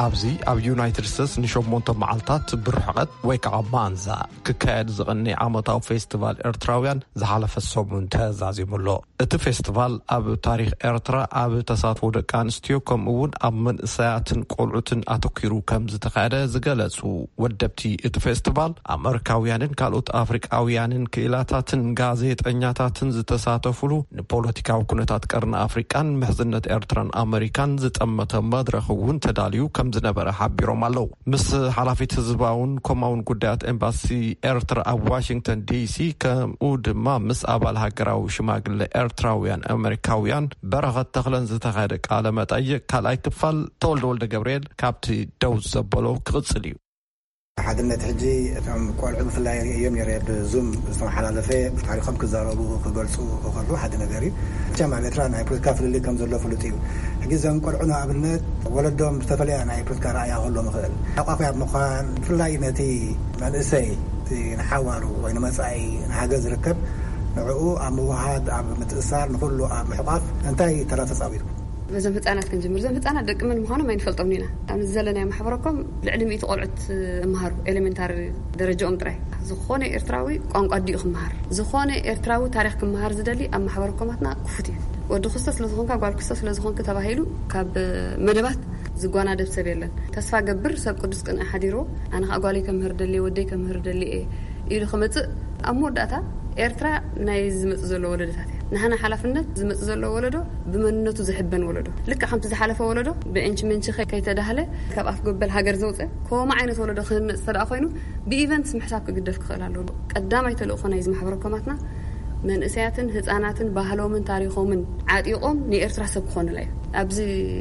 ኣብዚ ኣብ ዩናይትድ ስቴትስ ንሸሞንተ መዓልታት ብርሕቐት ወይ ከዓ ማንዛ ክካየድ ዝቐኒ ዓመታዊ ፌስቲቫል ኤርትራውያን ዝሓለፈ ሰሙን ተዛዚሙ ኣሎ። እቲ ፌስቲቫል ኣብ ታሪኽ ኤርትራ ኣብ ተሳትፎ ደቂ ኣንስትዮ ከምኡ እውን ኣብ መንእሰያትን ቆልዑትን ኣተኲሩ ከም ዝተኻየደ ዝገለጹ ወደብቲ እቲ ፌስቲቫል፣ ኣመሪካውያንን ካልኦት ኣፍሪቃውያንን ክኢላታትን ጋዜጠኛታትን ዝተሳተፉሉ፣ ንፖለቲካዊ ኩነታት ቀርኒ ኣፍሪቃን ምሕዝነት ኤርትራን ኣመሪካን ዝጠመተ መድረኽ እውን ተዳልዩ ከም ዝነበረ ሓቢሮም ኣለዉ። ምስ ሓላፊት ህዝባውን ኮማውን ጉዳያት ኤምባሲ ኤርትራ ኣብ ዋሽንግተን ዲሲ፣ ከምኡ ድማ ምስ ኣባል ሃገራዊ ሽማግለ ኤርትራውያን ኣመሪካውያን በረኸት ተኽለን ዝተኻየደ ቃለ መጠይቕ ካልኣይ ክፋል፣ ተወልደ ወልደ ገብርኤል ካብቲ ደው ዘበሎ ክቕጽል እዩ። ሓድነት ሕጂ እቶም ቆልዑ ብፍላይ እዮም ነይረ ብዙም ዝተመሓላለፈ ታሪኾም ክዛረቡ ክገልጹ ክኸሉ ሓደ ነገር እዩ። መቸም ኣብ ኤርትራ ናይ ፖለቲካ ፍልልይ ከም ዘሎ ፍሉጥ እዩ። ሕጂ እዞም ቆልዑ ንኣብነት ወለዶም ዝተፈለየ ናይ ፖለቲካ ረኣያ ክህሎም ይኽእል። ሓቋፊ ኣብ ምዃን ብፍላይ ነቲ መንእሰይ እቲ ንሓዋሩ ወይ ንመጻኢ ንሃገር ዝርከብ ንዕኡ ኣብ ምውሃድ፣ ኣብ ምትእሳር፣ ንኹሉ ኣብ ምሕቋፍ እንታይ ተራ ተጻዊትኩም? በዞም ህጻናት ክንጅምር። እዞም ህጻናት ደቂ መን ምዃኖም ኣይንፈልጦም ኢና። ኣብ ዘለናዮ ማሕበረኮም ልዕሊ ሚእቲ ቆልዑት እምሃሩ፣ ኤሌሜንታሪ ደረጃኦም ጥራይ። ዝኾነ ኤርትራዊ ቋንቋ ኣዲኡ ክምሃር፣ ዝኾነ ኤርትራዊ ታሪኽ ክምሃር ዝደሊ ኣብ ማሕበረኮማትና ክፉት እዩ። ወዲ ክስቶ ስለ ዝኾንካ፣ ጓል ክስቶ ስለ ዝኾንክ ተባሂሉ ካብ መደባት ዝጓናደብ ሰብ የለን። ተስፋ ገብር ሰብ ቅዱስ ቅንኢ ሓዲርዎ፣ ኣነ ኸኣ ጓለይ ከምህር ደልየ፣ ወደይ ከምህር ደልየ ኢሉ ክመጽእ፣ ኣብ መወዳእታ ኤርትራ ናይ ዝመጽእ ዘሎ ወለዶታት እያ። ንሕና ሓላፍነት ዝመጽእ ዘሎ ወለዶ ብመንነቱ ዝሕበን ወለዶ። ልክዕ ከምቲ ዝሓለፈ ወለዶ ብእንቺ ምንቺ ከይ-፣ ከይተዳህለ ካብ ኣፍ ገበል ሃገር ዘውጸ፣ ከምኡ ዓይነት ወለዶ ክህነጽ እንተ ደኣ ኮይኑ፣ ብኢቨንትስ ምሕሳብ ክግደፍ ክኽእል ኣለዎ። ቀዳማይ ተልእኾ ናይዚ ማሕበረ ኮማትና መንእሰያትን ህጻናትን ባህሎምን ታሪኾምን ዓጢቖም ንኤርትራ ሰብ ክኾኑላ እዩ። ኣብዚ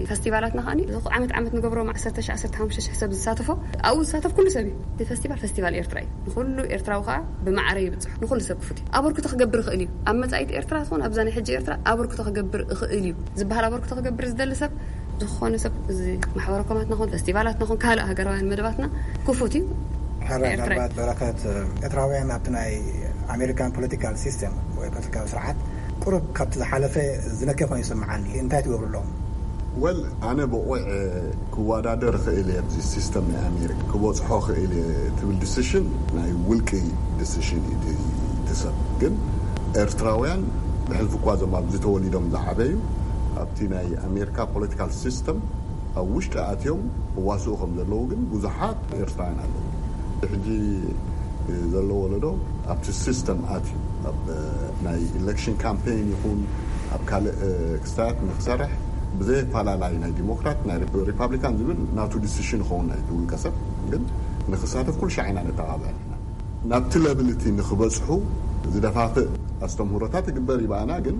ፈስቲቫላትና ከኣ ዓመት ዓመት ንገብሮም ዓሰርተ ሽሕ ዓሰርተ ሓሙሽተ ሽሕ ሰብ ዝሳተፎ፣ ኣብኡ ዝሳተፍ ኩሉ ሰብ እዩ። እቲ ፈስቲቫል ፈስቲቫል ኤርትራ እዩ። ንኹሉ ኤርትራዊ ከኣ ብማዕረ ይብጽሕ። ንኹሉ ሰብ ክፉት እዩ። ኣበርክቶ ክገብር ይኽእል እዩ። ኣብ መጻኢት ኤርትራ ትኹን ኣብዛ ናይ ሕጂ ኤርትራ ኣበርክቶ ክገብር ይኽእል እዩ ዝበሃል ኣበርክቶ ክገብር ዝደሊ ሰብ፣ ዝኾነ ሰብ እዚ ማሕበረ ኮማትና ኹን ፈስቲቫላትና ኹን ካልእ ሃገራውያን መደባትና ክፉት እዩ። ሕራይ ኤርትራ ምናልባት በረከት፣ ኤርትራውያን ኣብቲ ናይ ኣሜሪካን ፖለቲካል ሲስተም ወይ ፖለቲካዊ ስርዓት ቁሩብ ካብቲ ዝሓለፈ ዝነከ ኮይኑ ይስምዓኒ። እንታይ ትገብሩ ኣለኹም? ወል፣ ኣነ ብቑዕ ክወዳደር ክእል እየ፣ ኣብዚ ሲስተም ናይ ኣሜሪካ ክበጽሖ ክእል እየ ትብል ዲሲሽን ናይ ውልቂ ዲሲሽን እዩ። እቲ ሰብ ግን ኤርትራውያን ብሕልፊ እኳ እዞም ኣብዚ ተወሊዶም ዝዓበዩ ኣብቲ ናይ ኣሜሪካ ፖለቲካል ሲስተም ኣብ ውሽጢ ኣትዮም እዋስኡ ከም ዘለዉ ግን ብዙሓት ኤርትራውያን ኣለዉ። ሕጂ ዘሎ ወለዶ ኣብቲ ሲስተም ኣትዩ ኣብ ናይ ኢሌክሽን ካምፔን ይኹን ኣብ ካልእ ክስታት ንክሰርሕ ብዘየፈላለይ ናይ ዲሞክራት ናይ ሪፓብሊካን ዝብል ናቱ ዲሲሽን ይኸውን ናይቲ ውልቀ ሰብ ግን ንክሳተፍ ኩሉ ሻዕ ኢና ነተባብዕ። ናብቲ ለብል እቲ ንክበጽሑ ዝደፋፍእ ኣስተምህሮታት ይግበር ይበኣና፣ ግን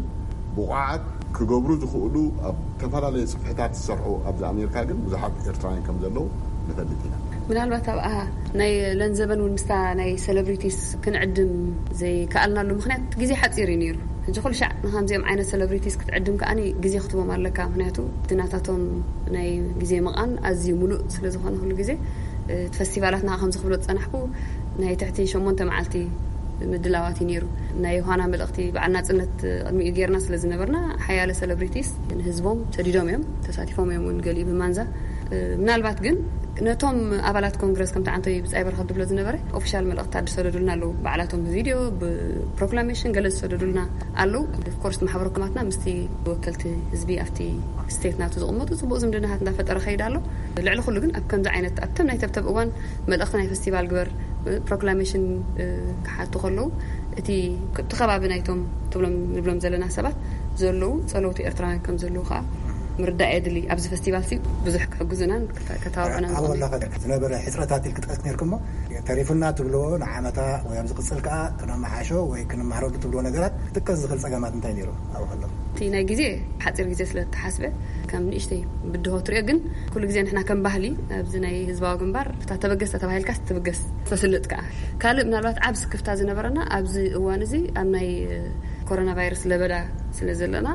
ብቑዓት ክገብሩ ዝኽእሉ ኣብ ዝተፈላለየ ጽፍሕታት ዝሰርሑ ኣብዚ ኣሜሪካ ግን ብዙሓት ኤርትራውያን ከም ዘለዉ ንፈልጥ ኢና። ምናልባት ኣብኣ ናይ ለንዘበን እውን ምስታ ናይ ሰለብሪቲስ ክንዕድም ዘይከኣልናሉ ምኽንያት ግዜ ሓጺር እዩ ነይሩ። ሕጂ ኩሉ ሻዕ ንከምዚኦም ዓይነት ሰለብሪቲስ ክትዕድም ከኣ ግዜ ክትቦም ኣለካ። ምኽንያቱ እቲ ናታቶም ናይ ግዜ መቓን ኣዝዩ ሙሉእ ስለ ዝኾነ ኩሉ ግዜ እቲ ፈስቲቫላትና ከምዚ ክብሎ ዝጸናሕኩ ናይ ትሕቲ ሸሞንተ መዓልቲ ምድላዋት እዩ ነይሩ። ናይ ዮሃና መልእኽቲ በዓል ናጽነት ቅድሚኡ ጌርና ስለ ዝነበርና ሓያለ ሰለብሪቲስ ንህዝቦም ሰዲዶም እዮም፣ ተሳቲፎም እዮም እውን ገሊኡ ብማንዛ። ምናልባት ግን ነቶም ኣባላት ኮንግረስ ከምቲ ዓንቶይ ብጻይ በረኸት ዝብሎ ዝነበረ ኦፊሻል መልእኽትታት ዝሰደዱልና ኣለዉ። ባዕላቶም ብቪድዮ ብፕሮክላሜሽን ገለ ዝሰደዱልና ኣለዉ። ኦፍኮርስ ማሕበረ ኮማትና ምስቲ ወከልቲ ህዝቢ ኣብቲ ስቴት ናቱ ዝቕመጡ ጽቡቕ ዝምድናታት እንዳፈጠረ ከይድ ኣሎ። ልዕሊ ኩሉ ግን ኣብ ከምዚ ዓይነት ኣብቶም ናይ ተብተብ እዋን መልእኽቲ ናይ ፈስቲቫል ግበር ፕሮክላሜሽን ክሓቱ ከለዉ እቲ እቲ ከባቢ ናይቶም ትብሎም ንብሎም ዘለና ሰባት ዘለዉ ጸለውቲ ኤርትራውያን ከም ዘለዉ ከዓ ምርዳእ የድሊ። ኣብዚ ፈስቲቫል ሲ ብዙሕ ክሕግዙናን ክተ-፣ ከተባብዑናን ኣብ ዝኽእሉ። ወላ ዝነበረ ሕጽረታት ኢል ክጠቅስ ነርኩሞ ተሪፉና ትብልዎ ንዓመታ ወይ ኣብ ዝቕጽል ከዓ ክነመሓሾ ወይ ክንመሃረሉ ትብልዎ ነገራት ክጥቀስ ዝኽእል ጸገማት እንታይ ነይሩ ኣብኡ ከለኹ? እቲ ናይ ግዜ ሓጺር ግዜ ስለ እተሓስበ ከም ንእሽተይ ብድሆ ትሪኦ፣ ግን ኩሉ ግዜ ንሕና ከም ባህሊ ኣብዚ ናይ ህዝባዊ ግንባር እታ ተበገስ ተባሂልካስ ትብገስ ተስልጥ ከዓ። ካልእ ምናልባት ዓብ ስክፍታ ዝነበረና ኣብዚ እዋን እዚ ኣብ ናይ ኮሮና ቫይረስ ለበዳ ስለ ዘለና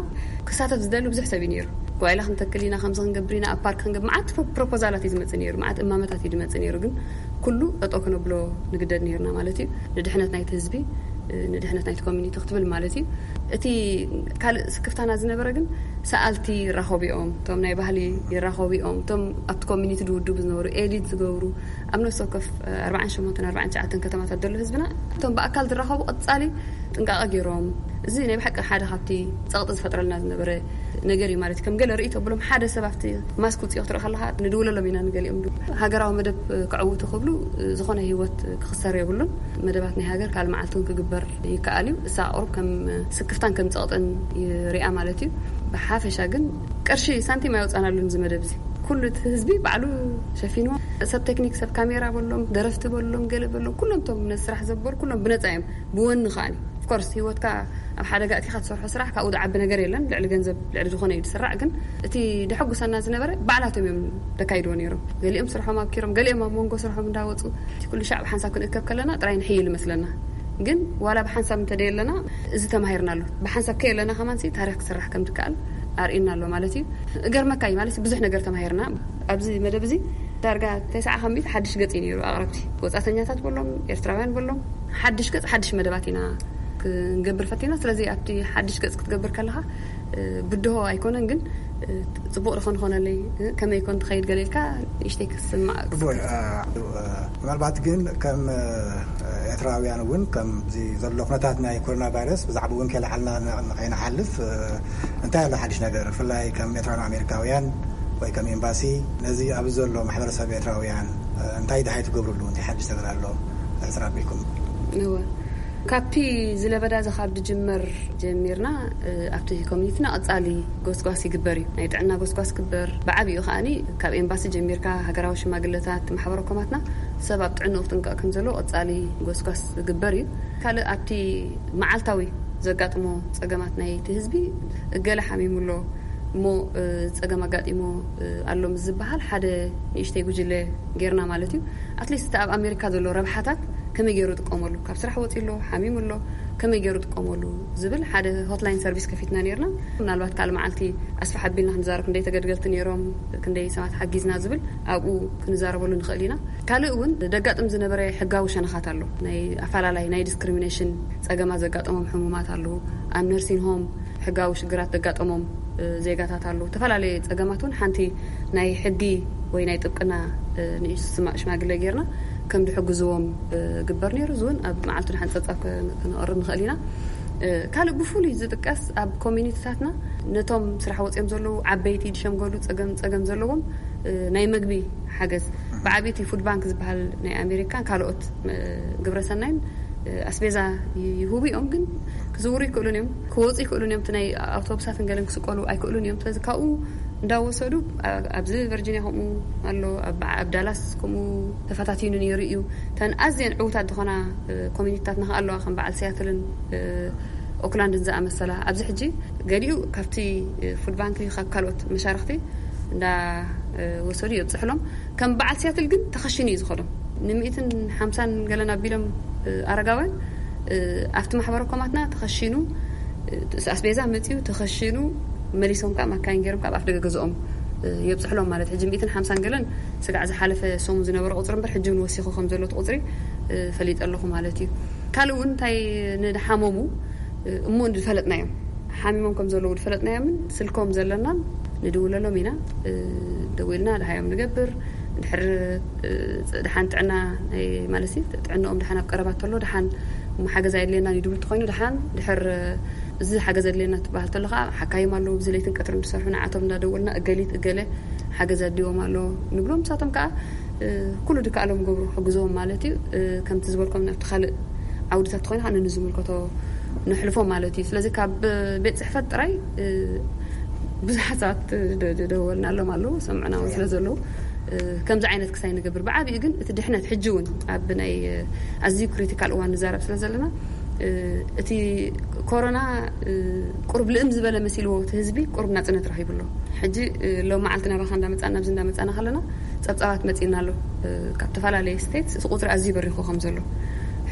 ክሳተፍ ዝደሊ ብዙሕ ሰብ እዩ ነይሩ። ጓይላ ክንተክል ኢና፣ ከምዚ ክንገብር ኢና፣ ኣብ ፓርክ ክንገብር፣ መዓት ፕሮ-፣ ፕሮፖዛላት እዩ ዝመጽእ ነይሩ፣ መዓት እማመታት እዩ ዝመጽእ ነይሩ። ግን ኩሉ ጠጠው ክነብሎ ንግደድ ነይርና ማለት እዩ። ንድሕነት ናይቲ ህዝቢ፣ ንድሕነት ናይቲ ኮሚኒቲ ክትብል ማለት እዩ። እቲ ካልእ ስክፍታና ዝነበረ ግን ሰኣልቲ ይራኸቡ እዮም፣ እቶም ናይ ባህሊ ይራኸቡ እዮም፣ እቶም ኣብቲ ኮሚኒቲ ድውድቡ ዝነበሩ ኤዲት ዝገብሩ ኣብ ነፍሲ ወከፍ ኣርባዓን ሸሞንተን ኣርባዓን ትሽዓተን ከተማታት ዘሎ ህዝብና እቶም ብኣካል ዝራኸቡ ቀጻሊ ጥንቃቐ ገይሮም። እዚ ናይ ብሓቂ ሓደ ካብቲ ጸቕጢ ዝፈጥረልና ዝነበረ ነገር እዩ ማለት እዩ። ከም ገለ ርእይቶ ብሎም ሓደ ሰብ ኣብቲ ማስክ ውጽኦ ክትርኢ ከለኻ ንድውለሎም ኢና ንገሊኦም። ሃገራዊ መደብ ክዕውቱ ክብሉ ዝኾነ ህይወት ክኽሰር የብሉን። መደባት ናይ ሃገር ካልእ መዓልቲ እውን ክግበር ይከኣል እዩ። እሳ ቁሩብ ከም ስክፍታን ከም ጸቕጥን ይሪኣ ማለት እዩ። ብሓፈሻ ግን ቅርሺ ሳንቲም ኣይወጻናሉን እዚ መደብ እዚ። ኩሉ እቲ ህዝቢ ባዕሉ ሸፊንዎ። ሰብ ቴክኒክ፣ ሰብ ካሜራ በሎም፣ ደረፍቲ በሎም፣ ገለ በሎም፣ ኩሎም እቶም ነዚ ስራሕ ዘበሩ ኩሎም ብነጻ እዮም። ብወኒ ከኣኒ ኦፍኮርስ ህይወትካ ኣብ ሓደጋ እቲኻ ትሰርሖ ስራሕ ካብኡ ዝዓቢ ነገር የለን። ልዕሊ ገንዘብ ልዕሊ ዝኾነ እዩ ዝስራዕ። ግን እቲ ደሐጉሰና ዝነበረ ባዕላቶም እዮም ዘካይድዎ ነይሮም። ገሊኦም ስርሖም ኣብኪሮም፣ ገሊኦም ኣብ መንጎ ስርሖም እንዳወፁ እቲ ኩሉ ሻዕ ብሓንሳብ ክንእከብ ከለና ጥራይ ንሕይል ይመስለና። ግን ዋላ ብሓንሳብ እንተደየለና እዚ ተማሂርና ኣሎ። ብሓንሳብ ከየለና ከማንሲ ታሪኽ ክስራሕ ከም ዝከኣል ኣርእና ኣሎ ማለት እዩ። እገርመካ እዩ ማለት ብዙሕ ነገር ተማሂርና። ኣብዚ መደብ እዚ ዳርጋ ተስዓ ካብ ሚእቲ ሓድሽ ገጽ እዩ ነይሩ። ኣቕረብቲ ወጻእተኛታት በሎም ኤርትራውያን በሎም ሓድሽ ገጽ ሓድሽ መደባት ኢና ክንገብር ፈቲና። ስለዚ ኣብቲ ሓድሽ ገጽ ክትገብር ከለኻ፣ እ፣ ብድሆ ኣይኮነን፣ ግን፣ እ፣ ጽቡቕ ዶ ክንኾነለይ፣ እ፣ ከመይ ኮን ትኸይድ ገለ ኢልካ ንእሽተይ ክስማዕ። ጽቡቕ፣ እ፣ እ፣ ምናልባት ግን ከም፣ እ፣ ኤርትራውያን እውን ከምዚ ዘሎ ኩነታት ናይ ኮሮና ቫይረስ ብዛዕባ እውን ከይለዓልና ን-፣ ንኸይንሓልፍ፣ እ፣ እንታይ ኣሎ ሓድሽ ነገር? ብፍላይ ከም ኤርትራውያን ኣሜሪካውያን ወይ ከም ኤምባሲ ነዚ ኣብዚ ዘሎ ማሕበረሰብ ኤርትራውያን፣ እ፣ እንታይ ደሃይ ትገብርሉ? እንታይ ሓድሽ ነገር ኣሎ? ሕጽር ኣቢልኩም። እወ። ካብቲ ዝለበዳ እዚ ካብ ድጅመር ጀሚርና፣ እ፣ ኣብቲ ኮሚኒቲና ቀጻሊ ጎስጓስ ይግበር እዩ። ናይ ጥዕና ጎስጓስ ይግበር። ብዓቢኡ ከኣኒ ካብ ኤምባሲ ጀሚርካ ሃገራዊ ሽማግለታት፣ ማሕበረ ኮማትና ሰብ ኣብ ጥዕንኡ ክጥንቀቕ ከም ዘለዎ ቀጻሊ ጎስጓስ ዝግበር እዩ። ካልእ ኣብቲ መዓልታዊ ዘጋጥሞ ጸገማት ናይቲ ህዝቢ፣ እገለ ሓሚሙ ኣሎ እሞ፣ እ፣ ጸገም ኣጋጢሞ፣ እ፣ ኣሎ ምስ ዝበሃል ሓደ ንእሽተይ ጉጅለ ጌርና ማለት እዩ። ኣትሊስት እቲ ኣብ ኣሜሪካ ዘሎ ረብሓታት ከመይ ገይሩ ይጥቀመሉ፣ ካብ ስራሕ ወፂኡ ኣሎ፣ ሓሚሙ ኣሎ፣ ከመይ ገይሩ ይጥቀመሉ ዝብል ሓደ ሆትላይን ሰርቪስ ከፊትና ነይርና። ምናልባት ካልእ መዓልቲ ኣስፍሕ ኣቢልና ክንዛረብ፣ ክንደይ ተገድገልቲ ነይሮም፣ ክንደይ ሰባት ሓጊዝና ዝብል ኣብኡ ክንዛረበሉ ንኽእል ኢና። ካልእ እውን ዘጋጥም ዝነበረ ሕጋዊ ሸነኻት ኣሎ። ናይ ኣፈላላይ፣ ናይ ዲስክሪሚኔሽን ጸገማት ዘጋጠሞም ሕሙማት ኣለዉ። ኣብ ነርሲን ሆም ሕጋዊ ሽግራት ዘጋጠሞም፣ እ፣ ዜጋታት ኣለዉ። ዝተፈላለዩ ጸገማት እውን ሓንቲ ናይ ሕጊ ወይ ናይ ጥብቅና፣ እ፣ ንእሽቶ ሽማ-፣ ሽማግለ ጌርና ከም ዝሕግዝዎም፣ እ፣ ግበር ነይሩ። እዚ እውን ኣብ መዓልቱ ደሓን ጸብጻብ ከ-፣ ከነቕርብ ንኽእል ኢና። እ፣ ካልእ ብፍሉይ ዝጥቀስ ኣብ ኮሚኒቲታትና ነቶም ስራሕ ወጺኦም ዘለዉ ዓበይቲ፣ ዝሸምገሉ፣ ጸገም፣ ጸገም ዘለዎም፣ እ፣ ናይ መግቢ ሓገዝ። ብዓቢቲ ፉድ ባንክ ዝበሃል ናይ ኣሜሪካን ካልኦት፣ እ፣ ግብረሰናይን፣ እ፣ ኣስቤዛ ይ-፣ ይህቡ እዮም፣ ግን ክዝውሩ ይክእሉን እዮም፣ ክወፁ ይክእሉን እዮም። እቲ ናይ ኣውቶቡሳትን ገለን ክስቀሉ ኣይክእሉን እዮም። ስለዚ ካብኡ እንዳወሰዱ፣ ኣ-፣ ኣብዚ ቨርጂኒያ ከምኡ ኣሎ፣ ኣብ፣ ኣብ ዳላስ ከምኡ ተፈታቲኑ ነይሩ እዩ። እተን ኣዝየን ዕዉታት ዝኾና፣ እ፣ ኮሚኒቲታት ንኸኣ ኣለዋ፣ ከም በዓል ሲያትልን፣ እ፣ ኦክላንድን ዝኣመሰላ። ኣብዚ ሕጂ ገሊኡ ካብቲ፣ እ፣ ፉድ ባንክ፣ ካብ ካልኦት መሻርኽቲ እንዳ፣ እ፣ ወሰዱ የብፅሕሎም። ከም በዓል ሲያትል ግን ተኸሽኑ እዩ ዝኸዶም። ንሚእትን ሓምሳን ገለን ኣቢሎም፣ እ፣ ኣረጋውያን፣ እ፣ ኣብቲ ማሕበረ ኮማትና ተኸሽኑ፣ እ፣ ኣስቤዛ መፂኡ ተኸሽኑ፣ መሊሶም ከዓ ማካይን ገይሮም ካብ ኣፍ ደገ ገዝኦም፣ እ፣ የብፅሕሎም ማለት። ሕጂ ሚእትን ሓምሳን ገለን ስጋዕ ዝሓለፈ ሰሙን ዝነበረ ቁፅሪ እምበር፣ ሕጂ እውን ወሲኹ ከም ዘሎ እቲ ቁፅሪ፣ እ፣ ፈሊጠ ኣለኹ ማለት እዩ። ካልእ እውን እንታይ፣ ንድሓመሙ፣ እ፣ እሞ ዝፈለጥናዮም፣ ሓሚሞም ከም ዘለዉ ዝፈለጥናዮምን ስልኮም ዘለናን ንድውለሎም ኢና። እ፣ ደዊልና ድሃዮም ንገብር። ድሕር፣ እ፣ ደሓን ጥዕና ናይ፣ ማለት ሲ፣ ጥዕናኦም ደሓን ኣብ ቀረባ ተሎ፣ ደሓን እሞ ሓገዝ ኣየድልየናን እዩ ድብል ተኾይኑ፣ ደሓን ድሕር፣ እ፣ እዚ ሓገዝ ኣድልየና ትበሃል ተሎ ከዓ፣ ሓካይም ኣለዉ፣ ብዚ ለይትን ቀትርን ዝሰርሑ፣ ንዓቶም እንዳደወልና፣ እገሊት እገለ ሓገዝ ኣድልዎም ኣሎ ንብሎም። ንሳቶም ከዓ፣ እ፣ ኩሉ ድከኣሎም ገብሩ፣ ሕግዝዎም ማለት እዩ። እ፣ ከምቲ ዝበልኩም ናብቲ ካልእ ዓውድታት ተኾይኑ ከዓ ነንዝምልከቶ ነሕልፎ ማለት እዩ። ስለዚ ካብ ቤት ጽሕፈት ጥራይ፣ እ፣ ብዙሓት ሰባት ደ-፣ ደ-፣ ደወልናሎም ኣለዉ፣ ሰምዑና እውን ስለ ዘለዉ፣ እ፣ ከምዚ ዓይነት ክሳይ ንገብር። ብዓቢኡ ግን እቲ ድሕነት ሕጂ እውን ኣብ ናይ፣ እ፣ ኣዝዩ ክሪቲካል እዋን ንዛረብ ስለ ዘለና፣ እ፣ እቲ ኮሮና፣ እ፣ ቁሩብ ልእም ዝበለ መሲልዎ እቲ ህዝቢ ቁሩብ ናጽነት ረኺቡ ኣሎ። ሕጂ፣ እ፣ ሎም መዓልቲ ናባኻ እንዳመጻና፣ ኣብዚ እንዳመጻና ከለና ጸብጻባት መጺእና ኣሎ፣ እ፣ ካብ ዝተፈላለየ ስቴትስ እቲ ቁጽሪ ኣዝዩ በሪኹ ከም ዘሎ።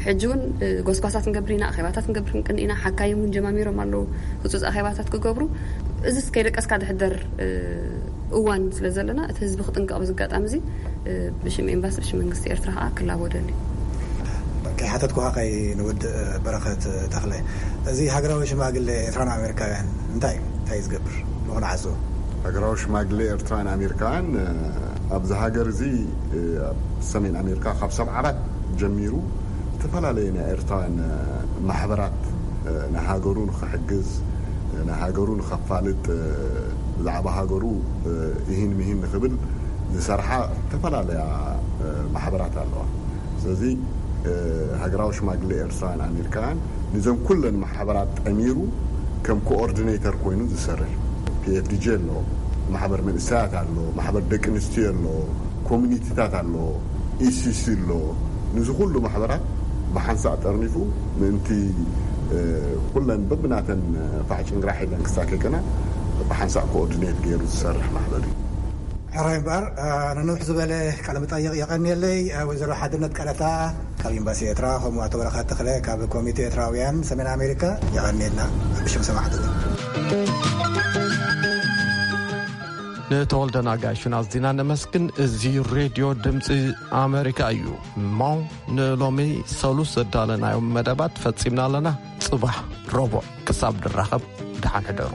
ሕጂ እውን፣ እ፣ ጎስጓሳት ንገብር ኢና፣ ኣኼባታት ንገብር ክንቅኒ ኢና፣ ሓካይም እውን ጀማሚሮም ኣለዉ ህጹጽ ኣኼባታት ክገብሩ። እዚ ከይደቀስካ ድሕደር፣ እ፣ እዋን ስለ ዘለና፣ እቲ ህዝቢ ክጥንቀቕ በዚ ኣጋጣሚ እዚ፣ እ፣ ብሽም ኤምባሲ፣ ብሽም መንግስቲ ኤርትራ ከዓ ክላቦ ደሊ። ከይሓተትኩኻ ከይንውድእ፣ በረኸት ተኽለ፣ እዚ ሃገራዊ ሽማግለ ኤርትራን ኣሜሪካውያን እንታይ እዩ? እንታይ እዩ ዝገብር? ንኽንዓዞ? ሃገራዊ ሽማግለ ኤርትራን ኣሜሪካውያን፣ እ፣ ኣብዚ ሃገር እዚ፣ እ፣ ኣብ ሰሜን ኣሜሪካ ካብ ሰብዓ ኣራት ጀሚሩ ዝተፈላለየ ናይ ኤርትራውያን፣ እ፣ ማሕበራት፣ እ፣ ንሃገሩ ንኽሕግዝ፣ እ፣ ንሃገሩ ንኸፋልጥ፣ እ፣ ብዛዕባ ሃገሩ፣ እ፣ ይህን ምሂን ንኽብል ዝሰርሓ ዝተፈላለያ፣ እ፣ ማሕበራት ኣለዋ። ስለዚ፣ እ፣ ሃገራዊ ሽማግለ ኤርትራውያን ኣሜሪካውያን ንዘን ኩለን ማሕበራት ጠሚሩ ከም ኮኦርዲኔተር ኮይኑ ዝሰርሕ እዩ። ፒ ኤፍ ዲ ጂ ኣሎ፣ ማሕበር መንእሰያት ኣሎ፣ ማሕበር ደቂ ኣንስትዮ ኣሎ፣ ኮሚኒቲታት ኣሎ፣ ኢ ሲ ሲ ኣሎ። ንዚ ኩሉ ማሕበራት ብሓንሳእ ጠርኒፉ ምእንቲ፣ እ፣ ኩለን በብናተን ፋሕ ጭንግራሕ ኢለን ክሳከከና ብሓንሳእ ኮኦርዲኔት ገይሩ ዝሰርሕ ማሕበር እዩ። ሕራይ እምበኣር፣ እ፣ ንንውሕ ዝበለ ቃለ መጠይቕ የቐንየለይ፣ እ፣ ወይዘሮ ሓድነት ቀለታ ካብ ኤምባሲ ኤርትራ፣ ከምኡ ኣቶ በረኸት ተኽለ ካብ ኮሚቴ ኤርትራውያን ሰሜን ኣሜሪካ፣ የቐንየልና ብሽም ሰማዕትና። ንተወልደ ናጋሹን ኣዝና ነመስግን። እዚ ሬድዮ ድምፂ ኣሜሪካ እዩ። እሞ ንሎሚ ሰሉስ ዘዳለናዮም መደባት ፈጺምና ኣለና። ጽባሕ ረቡዕ ክሳብ ንራኸብ ደሓን ሕደሩ።